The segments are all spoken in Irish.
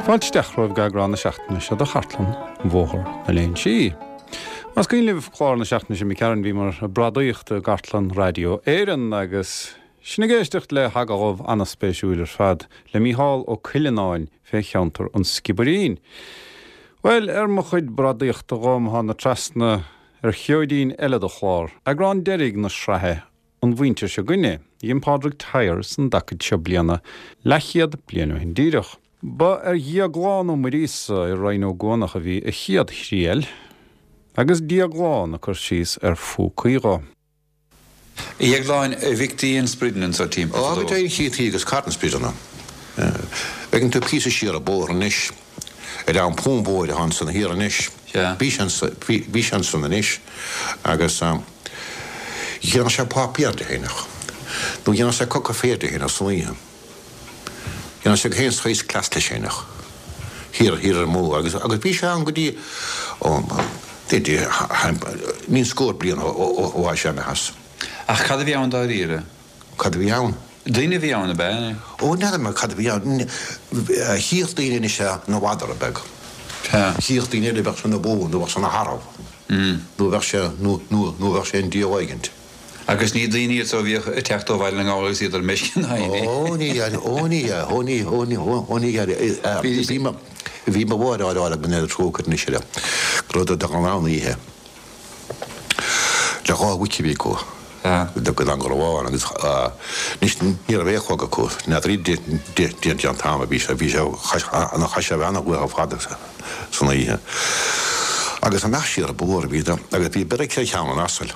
Fáilte isteach romhaibh go eagrán na seachtaine seo de Chartlann Bhóthar na Léinsí. Más cuimhin libh clár na seachtaine seo imigh tharainn bhíomar ag bradaíocht i gcartlann Raidió Éireann agus sinn ag éisteacht le hagallamh an-spéisiúil ar fad le Mícheál Ó Cuileanáin fé cheantar an Sciobairín. Bhuel, ar mo chuid bradaíochta dhom thána trasna ar sheoidín eile de chlár, eagrán deiridh na sraithe An Mhuintir Seo 'Gainne, a dhein Pádraig Tyers an dtacaid seo bliana, leathchéad bliain ó shin díreach. Ba ar Dhéaglán Ó Muiríosa i Rinn Ó gCuanach a bhí a chéad thriail, agus Déaglán ag cur síos ar phúcaí dho. A Dhéagláin, a bhfeictí an sprideanna anso timpeall Ó, fadó? go deimhin chífí agus cairt na sprideanna. Bhfeiceann tú píosa siar an bóthar anois, ar an pún bóthair atá ansan thiar anois. Sea. Bhí sé ansan, bhí sé ansan anois agus dhéanadh sé páipéar de fhéineach, nó dhéanadh sé coca féir de fhéineach san oíche. Dhéanadh sé gach aon saghas cleas leis fhéineach, thiar, thiar ar an mbóthar agus, agus bhí sé ann go dtí, ó, níl scór bliain ó, ó, ó tha sé imithe as. Ach cad a bhí ann dáiríre? Cad a bhí ann? Duine a bhí ann, ab ea? Ó, n'fheadar mé cad a bhí ann. Chíodh daoine anois é ina mhadra beag. Sea. Chíodh daoine eile bheadh sé ina bhó nó bheadh sé ina tharbh. Nó bheadh sé, nó, nó, nó bheadh sé i ndiaidh éigint. Agus ní daoine iad so a bhíodh ag teacht ó Bhaile na nGall agus iad ar meisce ná aon ní. Ó, ní hea, ó, ní hea, ó, ní, ó, ní, ó, ní hea. Bhí mo, bhí mo mháthair á rá le go ndéana trócaire anois uirthi, go raibh dul ann oíche. Le 2 mhuic a bhí acu go dtí go raibh ann agus anois ní raibh aon chlog acu, n'fheadar dén t-am a bhí sé, bhí sé, chaith sé a bheith ana-luath ar fad san oíche. Agus amach siar an bóthar a bhíodar agus bhí beairic ar cheann an asail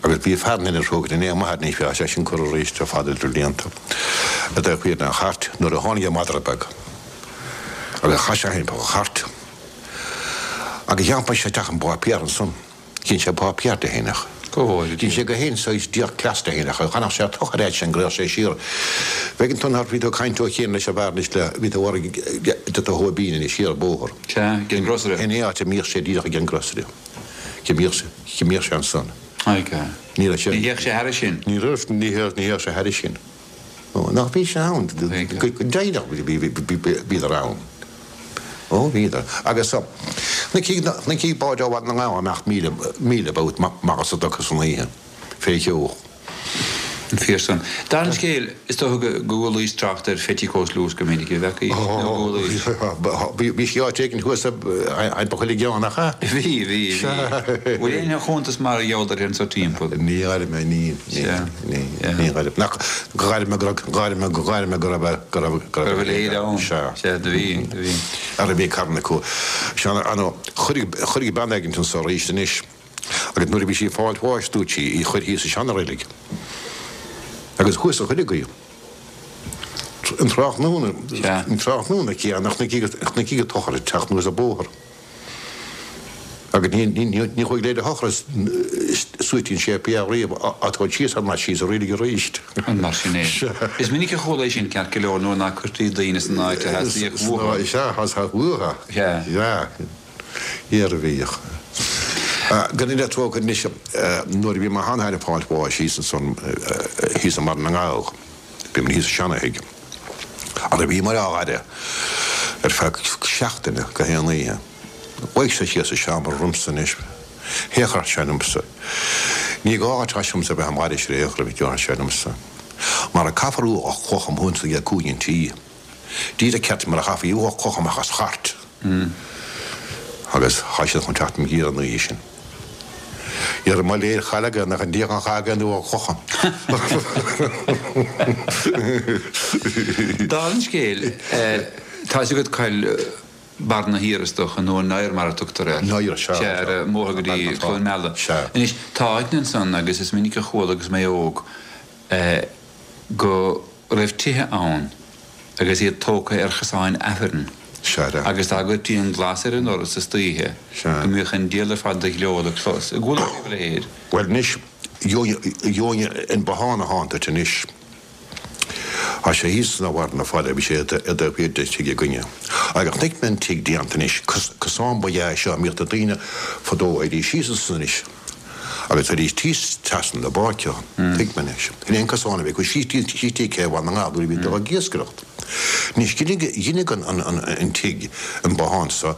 agus bhí fear in Inis Rógair in aon mhaith anois, bhí sé sin curtha arís ar fad idir blianta i dtaobh thiar den chairt nuair a tháinig an madra beag agus chaith sé thimpeall an chairt. Agus d'iompaigh sé isteach an páipéar ansan. Dhein sé páipéar de fhéineach. Go bhfóire Dhein Dia. sé gach aon saghas díoch cleas de fhéineach. Chonaic sé tochar fhad sin go raibh sé siar. Bhfeiceann tú nár bhí tú ag caint ó chian leis an bhfear anois le bhí tú ag de do Thóibín anois siar an bóthar. Sea, ag an grocery. In aon áit a mbíodh sé díreach ag an grocery. Go mbíodh sé, go mbíodh sé ansan. Oidhche. Ní raibh sé. Ní théadh sé thairis sin. Ní raibh, ní théadh, ní théadh sé thairis sin. Nach bhí sé ann, go deimhneach bhíodar ann. Ó, bhíodar. Agus chonaicí báid ó Bhaile na nGall amach míle about amach as an doca san oíche, fé cheo. An fíor san. Dála an scéil, is dócha go gcualaís trácht ar Phetticoat Loose go minic, a bhfeacaí, nó gcualaís. Bhí sí áit éigin thuas i ba chuile gceann, nach ea? Bhí, bhí, bhí. Bhfuil aon chuntas mar gheall uirthi anso timpeall? Ní ghairm mé, ní, ní, ní ghairm. Nach, ghairm mé go raibh, ghairm mé, ghairm mé go raibh, go raibh, go raibh a leithéid ann. Sea. Sea, do bhí, do bhí. Ara bhí carn acu. Sea, ano, chuir, chuir bean éigint anso arís anois. Agus nuair a bhí sí ag fáilt bháis dúirt sí í chuir thíos sa seana-reilig. Agus thuas a chuireadh í. An tráthnóna, an tráthnóna céanna chonaicí an tochar ag teacht anuas an bóthar. Agus ní, ní, ní, ní chuaigh leid a thochar suite an séipéal riamh á tabhairt síos thar n-ais síos sa reilig arís. An mar sin é? Is minic a chuala é sin ceart go leor nuair ná cuirtí daoine san áit a theastaíodh uathu. Sea, theastaigh uathu. Sea. Sea. Thiar a bhíodh. Go ndéana trócaire anois, nuair a bhí mo sheanathair ag fáilt bháis thíos ansan, thíos i mBarra na nGall, bhí muid thíos sa seana-thigh, ara bhíomar á fhaire ar feadh seachtaine gach aon oíche. Luigh sé síos sa seomra romhamsa anois, théadh sé liomsa. Ní gá dhuit liomsa a bheith im fhaire ar aon chor, a déarfadh sé liomsa, mar caithfear ualach cloch amuigh anso ag cúinne an tí. Díreach ceart mar a chaithfí ualach cloch amach as chairt. Agus thá siad chun teacht im dh'iarraidh an oíche sin. Iarraidh mo léir chail aige nach i ndiaidh an chath aige an ualach clocha. Dála an scéil, tá fhios agat coill Barna Thiar is dócha, nó an Oighear mar a tugtar air. An Oighear, sea. Sea, ar an mbóthar go dtí Cluain Meala. Sea. Anois, tá áiteanna ansan agus is minic a chuala agus mé óg go raibh tithe ann agus iad tógtha ar chosáin Aifrinn. Sea. Agus dá gcuirtí an glas ar an ndoras istoíche Sea. go mbíodh an diabhal ar fad de ghleo le clos. An gcuala tú a leithéid? Bhuel anois, gheobhainn an bothán atá ann duit anois. Tá sé thíos sna bharr na faille, bhí sé i dtaobh thiar den tigh againne. Agus chonaic mé an tigh déanta anois, cosán ba ea é seo a mbíodh na daoine fadó, théidís síos ansan anois agus théidís thíos trasna na bpáirceanna, tuig mé anois. Sin é an cosán a bhí acu síos dtí cé Bhaile na nGall nuair a bhí dul ag iascaireacht. Anois dheineadh an tigh, an bothán so,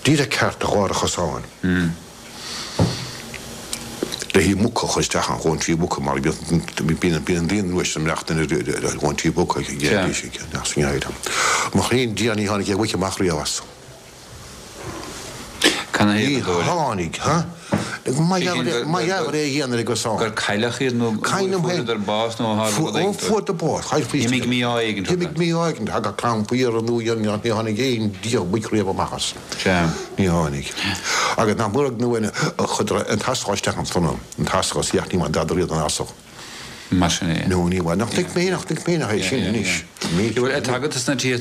díreach ceart do dhár an chosáin. Le haghaidh muca a chur isteach ann, dhóntaí muca mar bíonn bíonn an daoine nua sin ag imeacht ar dhóntaí muca ag sa ngeimhreadh. Mo chroí Dia ní tháinig aon mhuic amach riamh as. Ní tháinig, ha? Mar gheall ar é a dhéanamh ar an gcosán. Gur cailleadh iad nó fuaireadar bás nó tharla rud éigin dóibh. Fuaireadar bás. D'imigh mí-ádh éigin orthu. D'imigh mí-ádh éigin. Thagadh clann faoi iarraidh nó ní tháinig aon diabhal muic riamh amach as. Sea. Ní tháinig. Agus nach mór nó chuireadar an t-asal isteach ansan, an t-asal, is ní bhain dada riamh den asal. Mar sin é. No, ní bhain. Nach dtuig mé, nach dtuig mé nach é sin anois. Bhuel, tá agat sna tithe,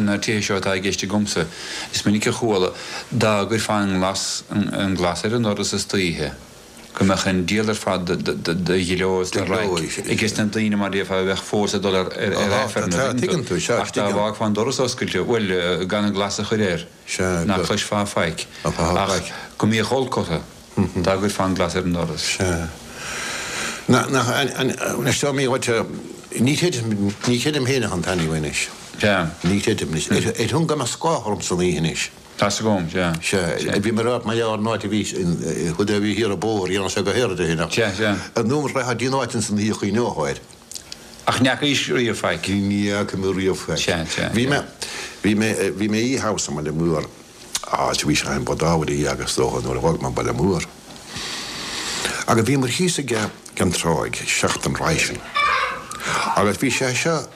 na tithe seo atá i gceist agamsa, is minic a chuala, dá gcuirfeá an glas, an glas ar an ndoras istoíche, go mbeadh an diabhal ar fad de ghleo is de raic aige sna daoine mar déarfá a bheadh fós ag dul ar Aifreann an tuigeann tú, ach dá bhfágfá an doras oscailte, bhuel, gan an glas a chur air, ná cloisfeá faic, ach go mbíodh olc orthu dá gcuirfeá an glas ar an ndoras. Sea. Nach, anois dá mí dhuit, ní chreidim, ní chreidim féin ach an t-ainm anois. Sea. Ní chreidim anois. Ar shon go mbeadh scáth orm san oíche anois. Tá's agam, sea. Sea, bhí mé ag rá mar gheall ar an áit a bhí, chuid a bhí thiar an bóthar, dhéanadh sé go haer de shin ach Sea, sea. ar ndóigh rachfá dtí an áit ins an oíche chuimhneofá air. Ach ní fhacaís riamh faic. Ní fhaca mé riamh faic. Sea, sea, Bhí mé, bhí mé, bhí mé oíche abhus i mBaile Mór, áit a bhí sé in Bodhábhair a agus dócha nuair a dh'fhág mé an Baile Mór. Agus bhíomar thíos ag an tráigh seachtain roimhe sin. Agus bhí sé seo,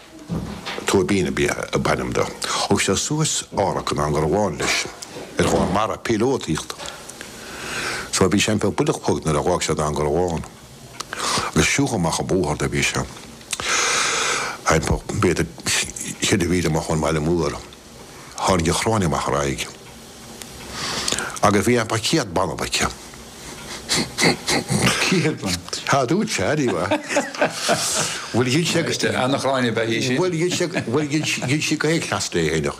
Tóibín ab ea ab ainm dó. Thug sé suas árthach go Dún Garbhán leis ar dhul mara píolótaíocht. So bhí sé timpeall buille a chlog nuair a dh'fhág sé Dún Garbhán. Agus siúl amach an bóthar do bhí sé. Timpeall b'fhéidir cheithre mhíle amach ón mbaile mór. Tháinig an chráin amach ar aghaidh. Agus bhí timpeall 100 banbh aici. 100 banbh? Tá, dúirt sé, anyway. Bhuel, ghin sé go. Ana-chráin ab ea í sin. Bhuel, ghin sé, bhuel, ghin, ghin sí go héag-chleas léi fhéineach.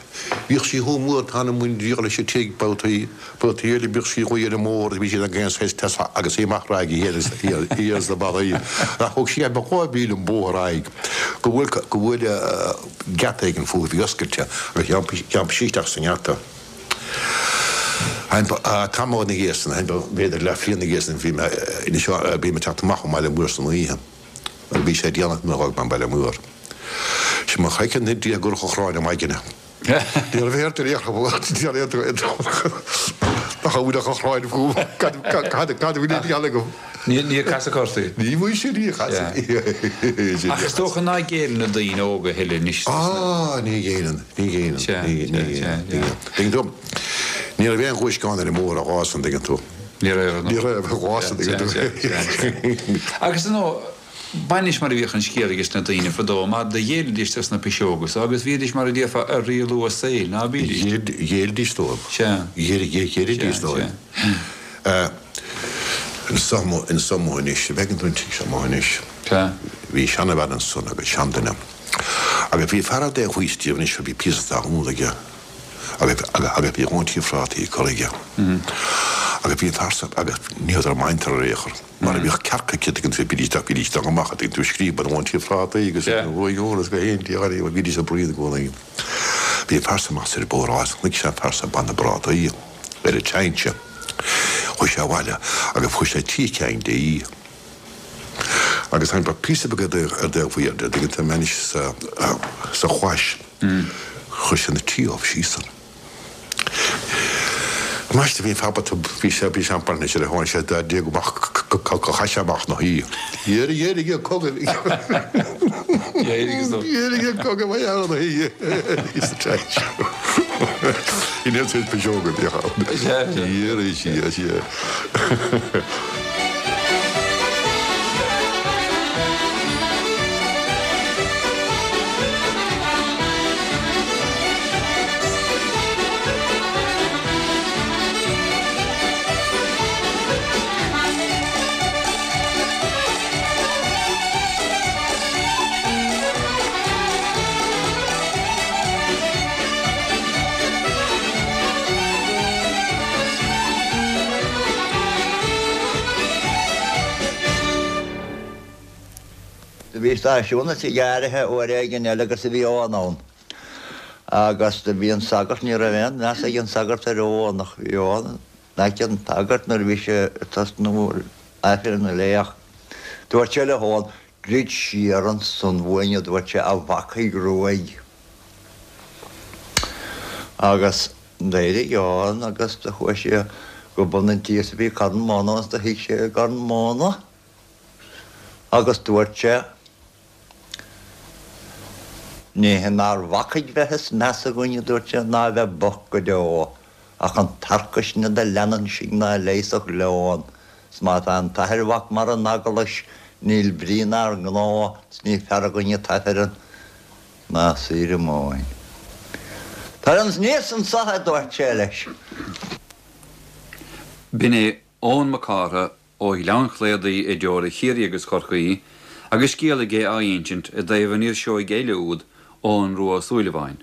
Bhíodh sí chomh mór, tá na muin díol leis an tigh, babhtaí, babhtaí eile bhíodh sí chomh ar an mbóthar, bhí siad ag aon saghas test agus í amach ar aghaidh, thiar, thiar sna barraí. Ach thug sí timpeall 2 mhíle an bóthar ar aghaidh go bhfuil, go bhfuil geata éigin fúithi a bhí oscailte agus d'iompaigh sí isteach sa ngeata. Tamall ina dhiaidh san, b'fhéidir leathbhliain ina dhiaidh san, bhí mé, bhí mé ag teacht amach ón mBaile Mór san oíche agus bhí sé déanach nuair a dh'fhág mé an Baile Mór. Sin mo chraiceann i ndiaidh go raibh an chráin maidine. Ní raibh aon duine nach bhfuil ach an chráin fúm, cad a bhí le déanamh agam? Níor casadh ort í? Ní mhuise, níor casadh. Ach is dócha ná géilleann na daoine óga a thuilleadh anois. Á, ní ghéilleann, ní ghéilleann, ní ghéilleann, ní ghéilleann. Tuigeann tú, ní raibh aon ghuaisceán ar an mbóthar an lá san, tuigeann tú. Ní raibh, Ní raibh an lá san, tuigeann tú. Agus ar ndóigh, b'in mar a bhíodh an scéal aige sna daoine fadó, mar do ghéillidís dos na piseoga so agus bhídís mar a déarfá ag rialú a saoil, ná bídís? Ghéillidís dóibh. Sea. Ghéillidís dóibh. Anso amuigh anois, an bhfeiceann tú an tigh seo amuigh anois? Sea. Bhí seanabhean ansan agus seanduine. Agus bhí fear ar dtaobh thuas díobh anois a bhí píosa talún aige agus agus bhí dhóntaí phrátaí curtha aige. Agus bhí an fear san agus ní rabhadar amhantar ar aon chor mar a bhíodh cearca aici tuigeann tú bhídís isteach bhídís isteach amach tuigeann tú ag scríobadh dhóntaí phrátaí agus agus go haon dia bhídís ag bruíon i gcónaí. Bhí an fear san amach ar an bóthar agus chonaic sé an fear san ag baint na bprátaí ar an tsinse. Chuaigh sé abhaile agus fuair sé trí cinn de í. Agus tháinig píosa beag ar dtaobh thiar de, tuigeann tú anois sa chois. Chuir sé na trí ubh síos ann. Ambaiste bhí an fear bocht, bhí sé, bhí sé an-bhainne sé le tháinig sé dá déag amach go chaith sé amach na hí. Dh'éirigh, d'éirigh an cogadh. D'éirigh an cogadh mar gheall ar na hí. Sa teach. In aon saghas piseoga a bhíodh ann. D'éirigh sí, sea. Do bhí stáisiún na tigh áirithe uair éigin eile agus do bhí Eoghan ann. Agus do bhí an sagart, ní raibh aon mheas ag an sagart ar Eoghan ach bhí Eoghan in aice an tsagairt nuair a bhí sé ag tosnú Aifreann a léamh. Dúirt sé le hEoghan, Druid siar ansan uainn, a dúirt sé, a bhacaigh ruaidh. Agus d'éirigh Eoghan agus do chuaigh sé go bun an tí is a bhí carn móna agus do shuigh sé ar an gcarn móna agus dúirt sé, Ní inár bhacaigh bheith is measa againn, a dúirt sé, ná a bheith bocht go deo, ach an tarcaisne do leanann sinn ná leigheasfadh leon, 's má tá an t-athair mhac mar an eaglais, níl brí 'nár ngnó, 's ní fearr againn an t-aifreann ná saoire móin. Tar aníos anso, a dúirt sé leis. B'in é Eoin Mac Cártha ó Ghleann Chlaodaigh i dteorainn Chiarraí agus Chorcaí agus scéal aige á insint i dtaobh an fhir seoigh eile úd, Eoghan Rua Ó Súilleabháin.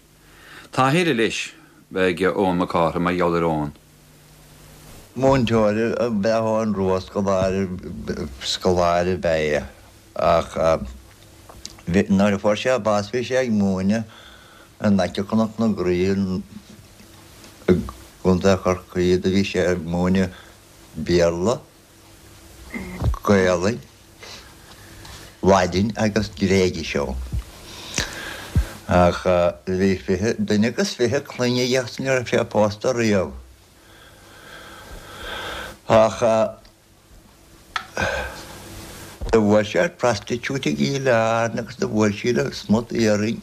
Tá a thuilleadh leis ag Eoin Mac Cártha mar gheall ar Eoghan. Múinteoir ab ea Eoghan Rua, scoláire, scoláire ab ea é ach nuair a fuair sé bás bhí sé ag múineadh in aice Chnoc na Graí i gContae Chorcaí do bhí sé ag múineadh Béarla, Gaelainn, Laidin agus Gréigis ann. Ach bhí fiche, duine agus fiche clainne aige agus ní raibh sé pósta riamh. Ach do bhuail sé ar prostitute i gCill Airne agus do bhuail sí le smut iarainn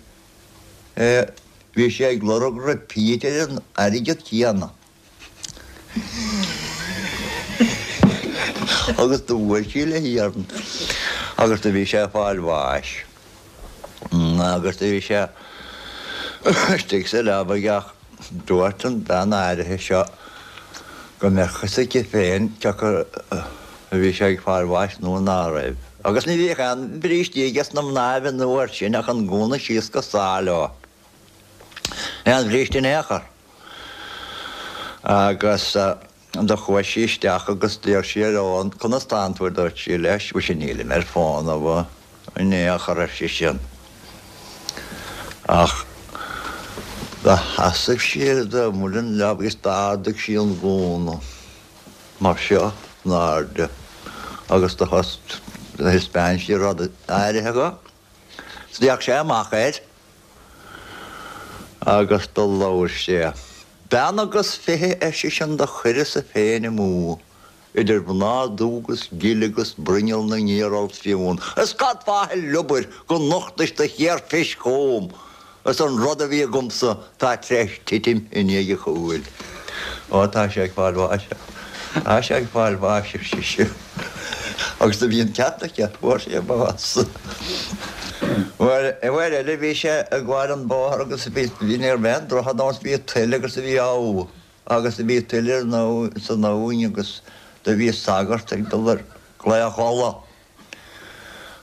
é. Bhí sé ag lorg repeat ar an airgead céanna. Agus do bhuail sí le hiarann agus do bhí sé ag fáil bháis. Agus do bhí sé istigh sa leabaidh ach dúirt an bhean áirithe seo go mbeadh fhios aici féin cé acu a bhí sé ag fáil bháis nó ná raibh. Agus ní bhíodh aon bhrístí aige sna mnáibh an uair sin ach an gúna síos go sáith leo. Aon bhríste in aon chor. Agus do chuaigh sí isteach agus d'iarr sí ar Eoghan, Conas tánn tú, a dúirt sí leis. Mhuise nílim ar fónamh in aon chor, ar seisean. Ach do sheasaimh sí ar imeall an leabaidh agus d'ardaigh sí an gúna mar seo in airde agus do thaispeáin sí rud áirithe dho. D'fhéach sé amach air agus do labhair sé. Bean agus 20, ar seisean, do chuireas-sa féin amú, idir mhná dubh agus gile agus bruinneall na ngiaralt fionn. Is cad fáth a liobair go nochtais do chéarfhis chugam? Is an rud a bhí agamsa tá tar éis titim i ndiaidh a chúil. Ó, tá sé ag fáil bháis. Tá sé ag fáil bháis, ar sise. Agus do bhí an ceart aici, fuair sé bás. Uair eile bhí sé ag gabháil an bóthar agus bhí, ní raibh aon droichead ann, bhí tuile agus bhí abha agus bhí tuile san abhainn agus do bhí sagart ag dul ar Chlaich Uladh.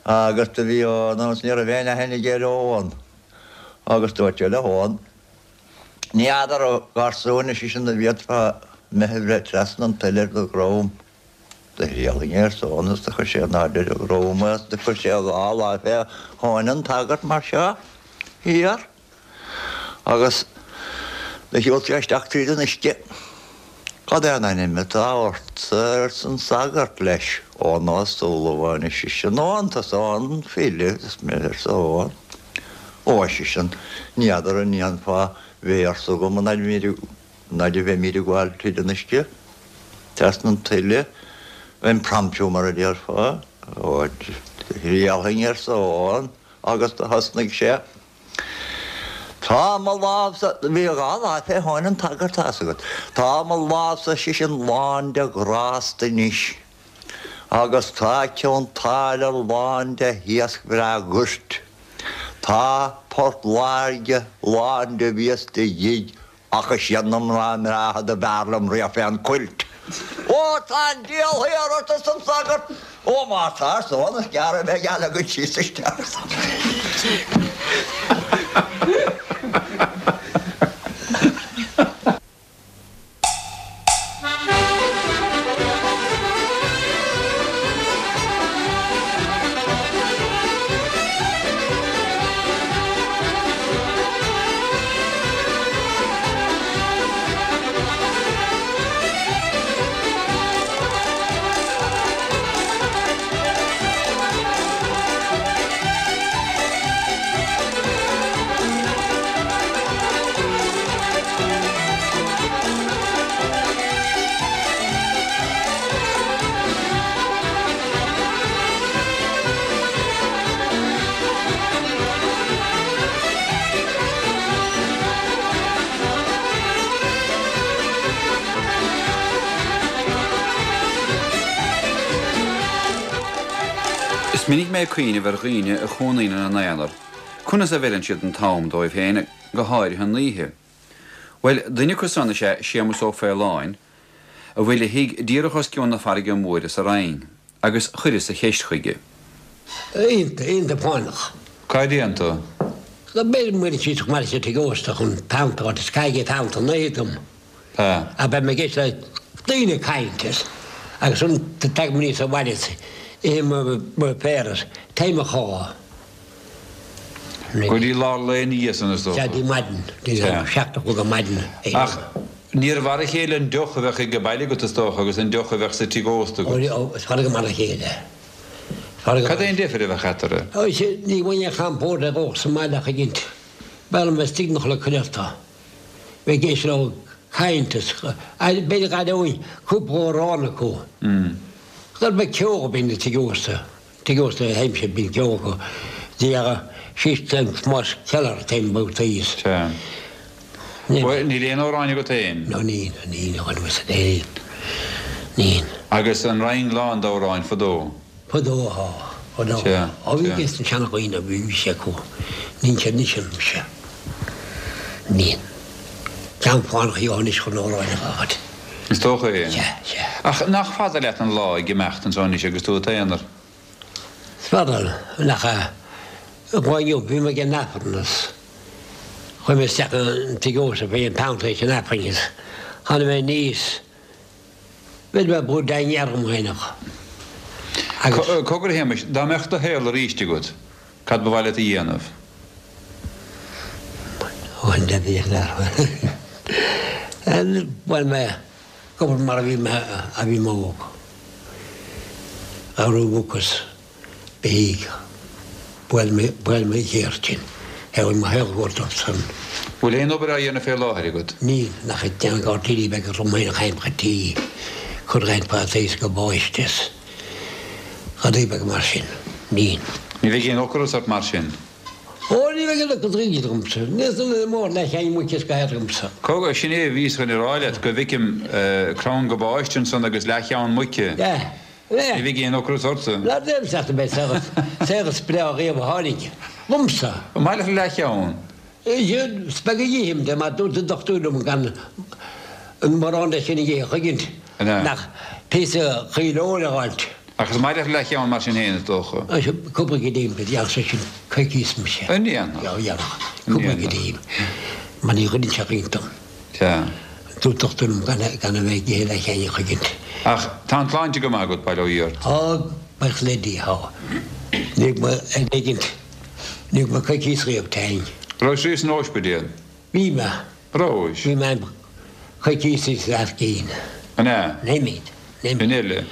Agus do bhí Eoghan ann, ní raibh aon aithne aige ar Eoghan. Agus dúirt sé le hEoghan, Ní fheadar, a gharsúin, ar seisean, an bhféadfá mé a bhreith trasna an tuile ar do dhrom. Do thriailfinn é, arsa Eoghan, agus do chuir sé in airde ar a dhrom é, agus do chuir sé a dhá láimh fé thóin an tsagairt mar seo thiar. Agus do shiúil sé isteach tríd an uisce. Cad é an ainm atá ortsa, arsa an sagart leis. Eoghan Ó Súilleabháin, ar seisean. Ó, an tusa Eoghan an file, is mé, arsa Eoghan. Ó, ar seisean, ní fheadar an ndéanfá véarsa dhom an fhaid a bheimíd ag gabháil tríd an uisce, trasna an tuile, impromptu mar a déarfá. Ó, thriailfinn, arsa Eoghan, agus do thosnaigh sé. Tá mo lámh-sa, bhí a dhá láimh fé thóin an tsagairt, tá's agat. Tá mo lámh-sa, ar seisean, lán de ghrást anois, agus tá Cionn tSáile lán de iasc bhreá guirt. Tá Port Láirge lán de bhias de ghig Ach is iad na mná breátha do b'fhearr liom riamh fén gcuilt. Ó, tá an diabhal thiar ort, arsa an sagart. Ó, má tá, arsa Eoghan, is gearr a bheidh a leagan síos isteach. Is minic mé ag cuimhneamh ar dhaoine a chónaíonn ina n-aonar, conas a bheireann siad an t-am dóibh féin, go háirithe an oíche. Bhuel, duine acu san is ea Séamus Ó Faoláin, a bhfuil a thigh díreach os cionn na farraige móire sa Rinn, agus chuireas an cheist chuige. Iontach, iontach fánach. Cá dtéann tú? Go mb'fhéidir muireann siad chomh maith le tigh ósta chun peann a fháil, is caithfidh peann an oíche dom. Tá. Ach beidh mé ag éisteacht le daoine ag caint is agus ansan tagaim aníos abhaile is ithim mo phéire is téim a chodladh. Go dtí lár lae ina dhiaidh san is dócha. Sea, dtí maidin, dtí a 7 a chlog ar maidin. Ach níorbh mar a chéile an deoch a bheadh ag baile agat is dócha agus an deoch a bheadh sa tigh ósta agat. Ó, is fada go mar a chéile. Cad é an deifir a bheadh eatarthu? Ó, sea, ní bhfuil aon champóir le dhóch sa mbaile ach ag innt. B'fhearr liom bheith istigh mo chodladh cuileachta. Bheith ag éisteacht leo ag caint is b'fhéidir go gcailleoinn cúpla amhrán acu. Gur beag ceol a bhíonn i dtigh ósta, tigh ósta a théimse, bíonn ceol acu. Dhera, síos le Tomás Keller téim babhtaí is. Sea. Bhuel, níl aon amhráin agat féin? No níl, níl, a dhuine, níl, níl. Agus an Rinn lán d'amhráin fadó? Fadó, á, fadó. Sea, Ó bhí sea. ges na seanadhaoine, bhí bhí sé acu. Níl sé anois anois, sea. Níl. Ceann fánach a anois chun amhráin a fhághaint. Is dócha é. Sea, sea. Ach nach fada leat an lá ag imeacht anso anois agus tú i t'aonar? Is fada, nach ea. An lá inniu, bhí mé ag an Aifreann is chuaigh mé isteach an tigh ósta fé an peann tar éis an Aifrinn is tháinig mé aníos. Bheir mé brú daingean orm fhéineach agus. Cogar a Shéamais, dá mbeadh do shaol aríst agat, cad ba mhaith leat a dhéanamh? Ó, an deimhin leat. Bhuel mé ag obair mar a bhí mé a bhí mé óg. A raibh mucas. Beidh. Bhuel mé, bhuel mé chéard sin. Bhuel mo shaol go dtí san. Bhfuil aon obair á dhéanamh fé láthair agat? Níl, nach ag déanamh gairdíní beaga dom féin a chaim go dtí cur roinnt prátaí is gabáiste is rudaí beaga mar sin. Níl. Ní bheidh aon ocras ort mar sin? Ó, ní bheidh aon ocras riamh ormsa. Níl san duine mór leathcheann muice is go haer agamsa. Cogar, sin é a bhíos chun a rá leat, go bhfeicim crann gabáiste ansan agus leathcheann muice. Yeah. Ní bheidh aon ocras ortsa. Ná déan isteach mé, saothar breá riamh a tháinig dhomsa. An maith leat leathcheann? Is beag a dh'ithim de mar dúirt an dochtúir liom gan an mórán de sin a dh'ithe choigint nach píosa caol óir a dh'fháilt. Ach is maith leat leathcheann mar sin féin, is dócha. Cúpla go dtím, go dtéadh sé sin coicíos mise. An ndéanfadh? Dhéanfadh. Cúpla go dtím, mar ní ghoideann sé roinnt dom. Sea. Dúirt dochtúir liom gan a bheith ag ithe leathcheann a choigint. Ach tá an tsláinte go maith agat, bail ó Dhia ort. Tá, buíochas le Dia, tá. Ní raibh mé ar éigint, ní raibh mé coicíos riamh tinn. Raibh riamh san óispidéal? Bhí mé. Rabhais? Bhí mé coicíos is leath gcinn. An ea? Nóiméad. Sin eile.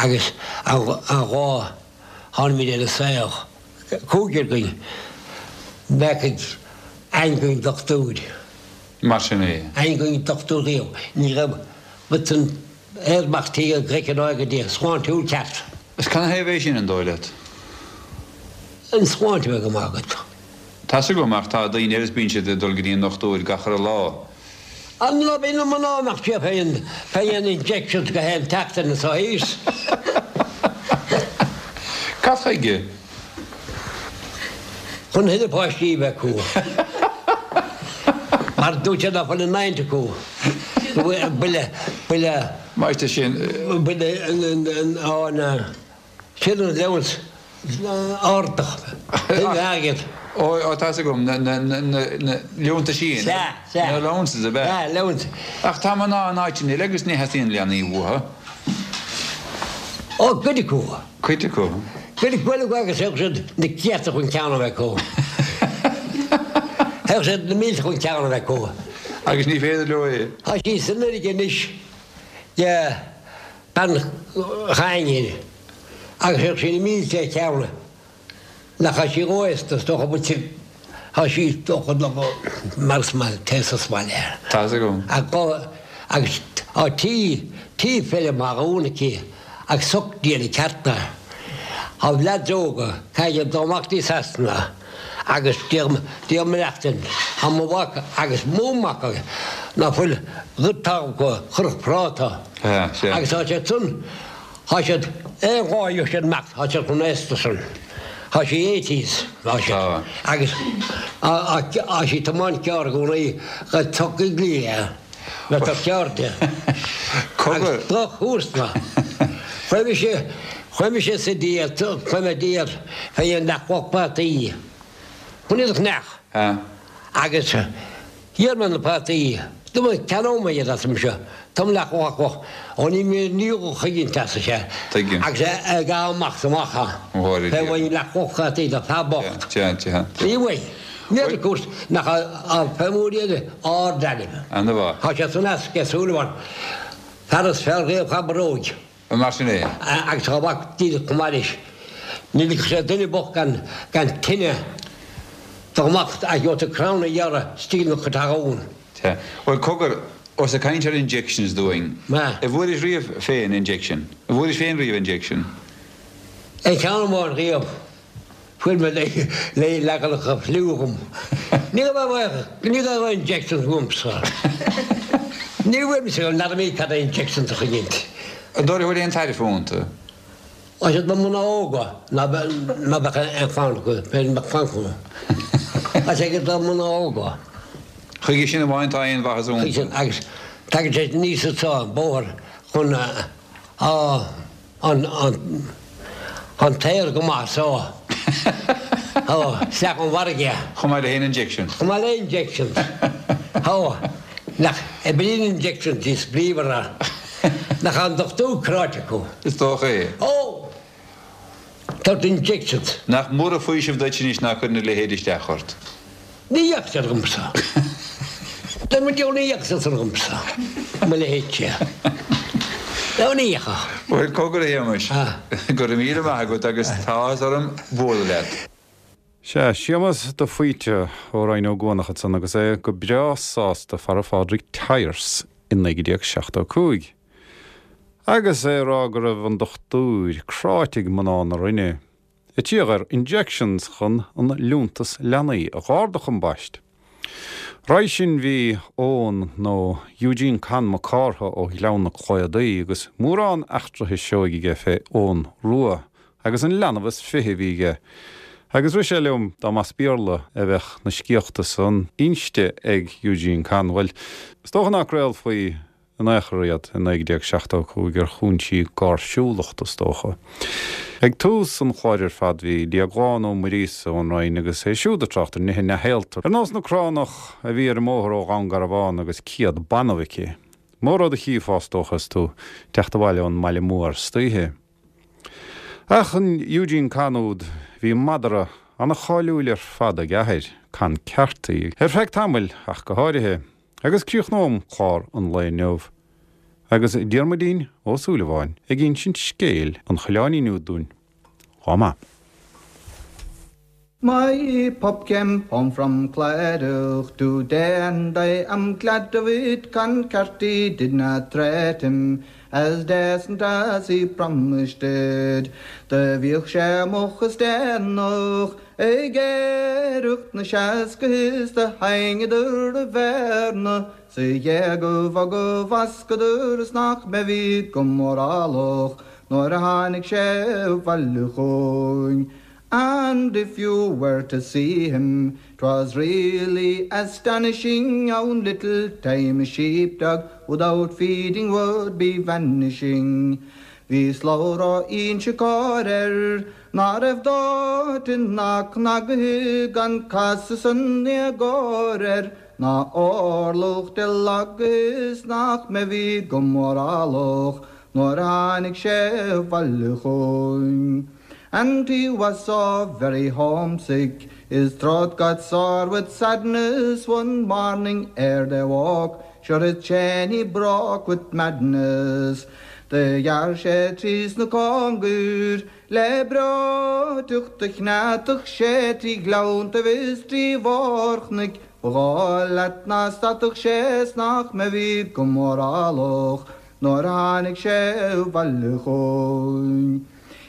Agus an lá tháinig muid ar an saol, cúigear againn, bheadh ag aon dochtúir. Mar sin é. Aon dhuine dochtúir riamh. Ní raibh rud san aer amach tí an ghreic an áigh Dia sláintiúil ceart. Is canathaobh é sin, an dóigh leat? An tsláinte a bheith go maith agat. Tá's agam, ach tá daoine eile is bíonn siad ag dul go dtí an ndochtúir gach uile lá. An lá bíonn na mná nach siad féin fé dhéanamh injections gach aon tseachtain anso thíos. Cad chuige? Chun thuilleadh páistí a bheith acu. Mar dúirt siad nach bhfuil an adhaint acu. Go bhfuil buille, buille. Maith sin. Buille an, sin an allowance ardach. Thuilleadh airgead. Ó, ó, tá's agam, na, na, na, na liúntaisí. Sea, sea. Na allowances ab ea? Sea, allowance. Ach tá mná in áiteanna eile agus ní theastaíonn leanaí uathu. Ó, cuid acu. Cuid acu. Cuid acu eile agus thug siad na céadta chun ceann a bheith acu. Thug siad na mílte chun ceann a bheith acu. Agus ní féidir leo é. Tá sí san fharraige anois de bean chainnín agus thug sí na mílte ar cheann. Nach tá sí róaosta, is dócha, but tá sí dócha mar is maith taos is maith léi. Tá's agam. Agus tá tí, tí feirm thar abhainn aici agus soc déanamh ceart air. Tá leaids óga, caithfidh dul amach dtí Sasana agus deir, deir mo leachtain, tá mo mhac agus mo mhac ná fuil rud talamh acu, chuirfeadh práta. Sea, sea. Agus tá siad san. Thá siad, aon lá a gheobhaidh siad amach, thá siad chomh aosta san. Thá sí eighties, thá siad. Agus thá sí ag tiomáint carr i gcónaí go dtiocfaidh léi le do cheirde. Agus droch-chúrsa. Chuaigh mise, chuaigh mise sa diet, chuaigh mé diet fé dhéin leath-chloch prátaí. Chun iad a cheannach. Agus. D'iarr mé na prátaí. Dúirt mé, Ceannóidh mé iad arsa mise. Táim leath chloch. Ó ní mé ní chuigint arsa sé. Tuigim. Agus é ag amach is amach. Mhór Fé bhain leath chloch prátaí do fear bocht. Sea, sea. Ní bhain. Ní fhéadfaidh cúirt nach fé mór iad ard-ainm. Ana mhaith. Tá sé san easc ag Súilleabháin. Fear is fearr riamh cha bróid. Mar sin é. Agus tá a mhac díreach chomh maith leis. Ní ligfeadh sé duine bocht gan gan tine dá mbeadh a gheobhadh tú crann a ghearradh istigh ina chuid talún. Sea. Bhuel, cogar, ós ag caint ar injections dúinn, a bhfuairis riamh féin injection? An bhfuairis féin riamh injection? Aon cheann amháin riamh. Fuair mé le leaganacha fliú dhom. Ní raibh ní raibh injections uaimsa. Ní bhfuair mise n'fheadar mé cad é injections a choinneáilt. An dóigh leat go bhfuil aon tairbhe iontu? Tá siad do mná óga ná beadh aon chlann acu, b'fhéidir mbeadh clann acu. Tá sé do mná óga. Chuige sin amháin tá aon mhaitheas iontu. Agus tagann sé aníos anso an bóthar chun a An t-aer go maith so. Ó, isteach ón bhfarraige. Chomh maith le haon injection. Chomh maith le injections. Ó, nach oibríonn injections níos bríomhara. Nach an dochtúir cráite acu. Is dócha é. Ó! Tabhairt injections. Nach mór an faoiseamh duit anois ná cuireann a leithéid isteach ort. Ní dheachaigh sé dhomsa. Tá mo diabhal ní dheachaigh sé san dhomsa, mo leithéidse. Nó ní dheachaigh. Bhuel, cogar a Shéamais, go raibh míle maith agat agus tá áthas orm bualadh leat. Sea, Séamas de Faoite ó Rinn Ó gCuanach ansan agus é go breá sásta fara Phádraig Tyers i 1975. Agus é ag rá go raibh an dochtúir cráite ag mná na Rinne. Ag iarraidh air injections chun an liúntas leanaí a dh'ardú ambaist. Roimhe sin bhí Eoghan nó Eugene Con Mac Cártha ó Ghleann na Claodaí agus mórán eachtraithe seoigh aige fé Eoghan Rua agus an leanbh is fiche a bhí aige agus rith sé liom dá mb'as Béarla a bheadh na scéalta san inste ag Eugene Con, bhuel, is dócha ná craolfaí in aon chor iad i 1975 ar chúinsí gáirsiúlachta, is dócha. Ag tús an chláir ar fad bhí Déaglán Ó Muiríosa ón Rinn agus é siúd ag trácht ar nithe neamhshaolta, ar nós na cránach a bhí ar an mbóthar ó Dhún Garbhán agus 100 banbh aici. Mór rud a chífeá, is dócha, is tú ag teacht abhaile ón mbaile mór istoíche. Ach an Eugene Con úd, bhí madra ana-cháiliúil ar fad ag a athair, Con Carthy, ar feadh tamaill ach go háirithe. Agus críochnóm clár an lae inniu agus Diarmuidín Ó Súilleabháin ag insint scéil an choileáinín úd dúinn. Lá maith. My pup came home from Clydach to-day and I am glad of it Con Carty did not treat him as decent as he promised did. Do bhíodh sé moch is déanach Ag éireacht na seasca is do sheinneadar a bhéarna 's a ghéagaibh go bhfascadar is nach mbeifí go mórálach nuair a tháinig sé abhaile chugainn. And if you were to see him, 'twas really astonishing how in little time a sheepdog without feeding would be vanishing. Bhí slabhra Inse Chór air Ná raibh dóite ná cnagaithe gan casadh san éagóir air ná orlach de lagaithe is nach mbeifí go mórálach nuair a tháinig sé abhaile chugainn. And he was so very homesick, his throat got sore with sadness one morning ere they woke, sure his chain he broke with madness. Do ghearr sé trí sna cóngair Le breoiteacht do chneadfadh sé trí ghleanntaibh is trí bharr-chnoic, ba dhóigh leat ná stadfadh sé 's nach mbeifí go mórálach nuair a tháinig sé abhaile chugainn.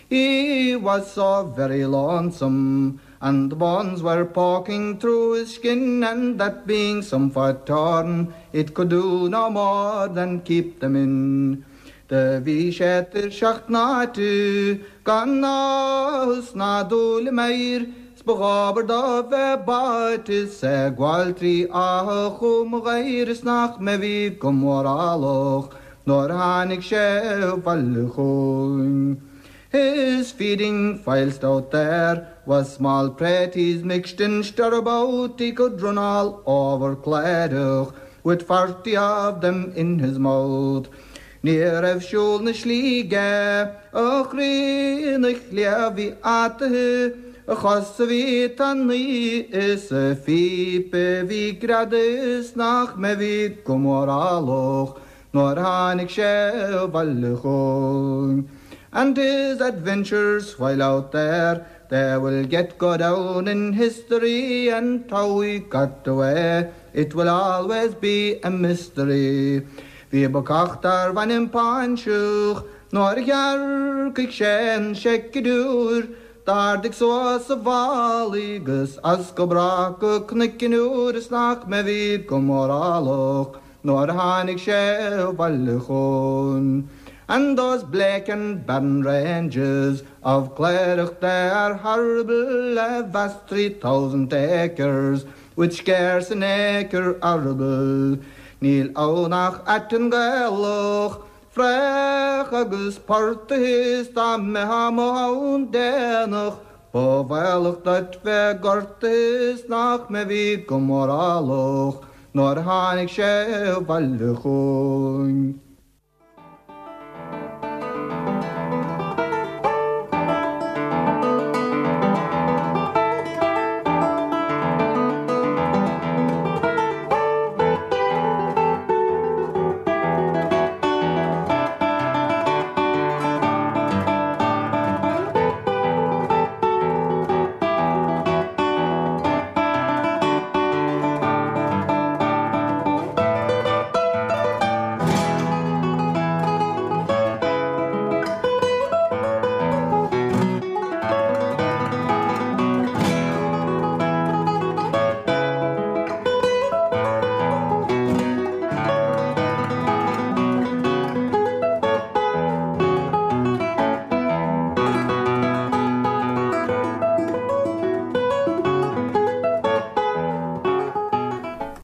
He was so very lonesome and the bones were poking through his skin and that being somewhat torn it could do no more than keep them in. Do bhí sé tuirseach tnáite gan áthas ná dúil i m'aoir 's ba dhóbair dó bheith báite 's é ag gabháil trí Áth Chom Ghair is nach mbeifí go mórálach nuair a tháinig sé abhaile chugainn. His feeding whilst out there was small praties mixed in stirabout he could run all over Clérach with 40 of them in his mouth. Ní raibh siúl na slí aige, a chroí ina chliabh bhí ataithe, a chosa bhí tanaí is a phíopa bhí greadta is nach mbeifí go mórálach nuair a tháinig sé abhaile chugainn. And his adventures while out there they will get go down in history and how he got away it will always be a mystery. Bhí bacach darbh ainm Páinseach nuair a shearcaigh sé an seicdiúir d'ardaigh suas a mhálaí 'gus as go brách go Cnoic an Iúir is nach mbeifí go mórálach nuair a tháinig sé abhaile chugainn. And those bleak and barren ranges of Clérach they are horrible, a vast 3,000 acres with scarce an acre arable. Níl ann ach aiteann Gaelach, fraoch agus portaigh is dá mbeifeá amuigh ann déanach, ba bhaolach duit bheith gortaithe is nach mbeifí go mórálach nuair a tháinig sé abhaile chugainn.